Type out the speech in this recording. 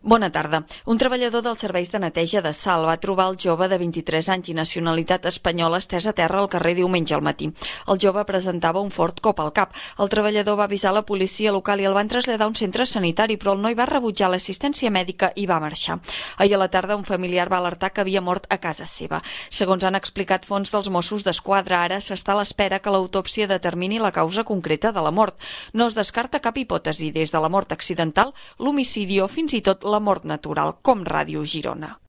Bona tarda. Un treballador dels serveis de neteja de Salt va trobar el jove de 23 anys i nacionalitat espanyola estès a terra al carrer diumenge al matí. El jove presentava un fort cop al cap. El treballador va avisar la policia local i el van traslladar a un centre sanitari, però el noi va rebutjar l'assistència mèdica i va marxar. Ahir a la tarda un familiar va alertar que havia mort a casa seva. Segons han explicat fonts dels Mossos d'Esquadra, ara s'està a l'espera que l'autòpsia determini la causa concreta de la mort. No es descarta cap hipòtesi, des de la mort accidental, l'homicidi o fins i tot la mort natural, com Ràdio Girona.